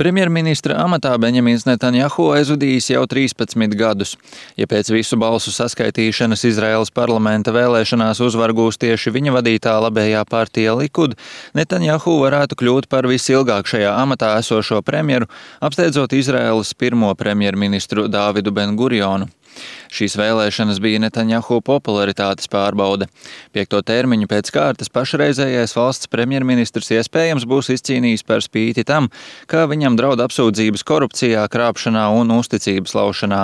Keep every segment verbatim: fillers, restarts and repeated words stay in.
Premjerministra amatā Beņamins Netanjahu aizvadījis jau trīspadsmit gadus. Ja pēc visu balsu saskaitīšanas Izraēlas parlamenta vēlēšanās uzvaru gūs tieši viņa vadītā labējā partija Likud, Netanjahu varētu kļūt par visilgāk šajā amatā esošo premjeru, apsteidzot Izraēlas pirmo premjerministru Dāvidu Ben-Gurionu. Šīs vēlēšanas bija Netanjahu popularitātes pārbaude. Piekto termiņu pēc kārtas pašreizējais valsts premjerministrs iespējams būs izcīnījis par spīti tam, kā viņam draud apsūdzības korupcijā, krāpšanā un uzticības laušanā.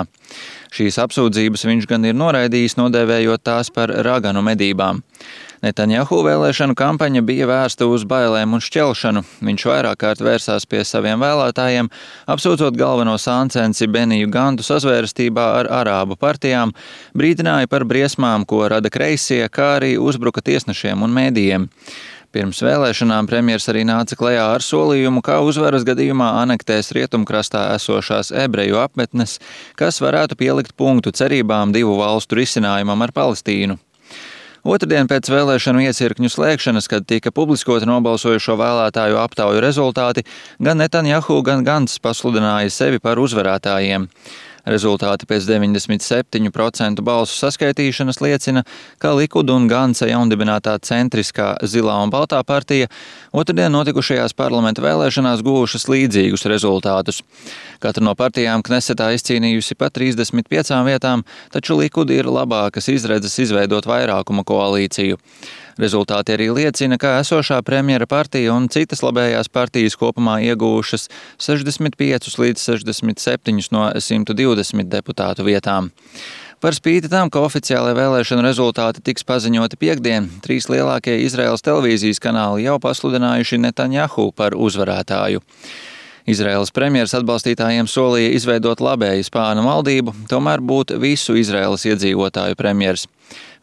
Šīs apsūdzības viņš gan ir noraidījis, nodēvējot tās par raganu medībām. Netanjahu vēlēšanu kampaņa bija vērsta uz bailēm un šķelšanu. Viņš vairāk kārt vērsās pie saviem vēlētājiem, apsūdzot galveno sāncensi Beniju Gantu sazvērstībā ar arābu partijām, brīdināja par briesmām, ko rada kreisie, kā arī uzbruka tiesnešiem un mēdījiem. Pirms vēlēšanām premjers arī nāca klajā ar solījumu, kā uzvaras gadījumā anektēs rietumkrastā esošās ebreju apmetnes, kas varētu pielikt punktu cerībām divu valstu risinājumam ar Palestīnu. Otrdien pēc vēlēšanu iecirkņu slēgšanas, kad tika publiskoti nobalsojušo vēlētāju aptauju rezultāti, gan Netanjahu, gan Gants pasludināja sevi par uzvarētājiem. Rezultāti pēc deviņdesmit septiņu procentu balsu saskaitīšanas liecina, ka Likud un Gantsa jaundibinātā centriskā Zilā un Baltā partija otrdien notikušajās parlamenta vēlēšanās guvušas līdzīgus rezultātus. Katra no partijām Knesetā izcīnījusi pa trīsdesmit piecām vietām, taču Likud ir labākas izredzes izveidot vairākuma koalīciju. Rezultāti arī liecina, ka esošā premjera partija un citas labējās partijas kopumā iegūšas sešdesmit piecus līdz sešdesmit septiņus no simta divdesmit deputātu vietām. Par spīti tam, ka oficiālai vēlēšanu rezultāti tiks paziņoti piektdien, trīs lielākie Izraēlas televīzijas kanāli jau pasludinājuši Netanjahu par uzvarētāju. Izraēlas premjeras atbalstītājiem solīja izveidot labēju spānu valdību, tomēr būt visu Izraēlas iedzīvotāju premjers.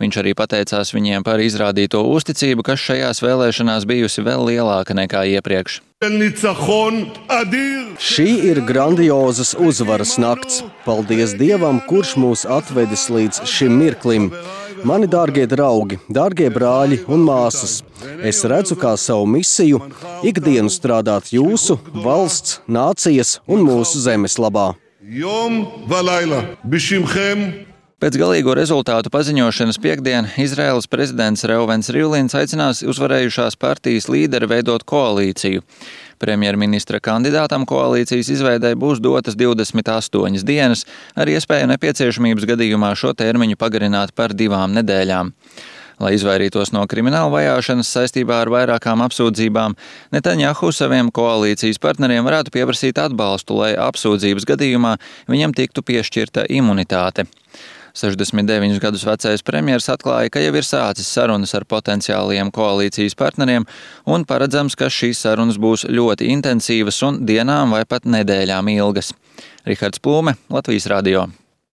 Viņš arī pateicās viņiem par izrādīto uzticību, kas šajās vēlēšanās bijusi vēl lielāka nekā iepriekš. Šī ir grandiozas uzvaras nakts. Paldies Dievam, kurš mūs atvedis līdz šim mirklim. Mani dārgie draugi, dārgie brāļi un māsas, es redzu kā savu misiju ikdienu strādāt jūsu, valsts, nācijas un mūsu zemes labā. Pēc galīgo rezultātu paziņošanas piektdien Izraēlas prezidents Reuvens Rivlins aicinās uzvarējušās partijas līderi veidot koalīciju. Premjerministra kandidātam koalīcijas izveidei būs dotas divdesmit astoņas dienas, ar iespēju nepieciešamības gadījumā šo termiņu pagarināt par divām nedēļām. Lai izvairītos no krimināla vajāšanas saistībā ar vairākām apsūdzībām, Netanjahu saviem koalīcijas partneriem varētu pieprasīt atbalstu, lai apsūdzības gadījumā viņam tiktu piešķirta imunitāte. sešdesmit deviņus gadus vecais premjers atklāja, ka jau ir sācis sarunas ar potenciālajiem koalīcijas partneriem un paredzams, ka šīs sarunas būs ļoti intensīvas un dienām vai pat nedēļām ilgas. Rihards Plūme, Latvijas radio.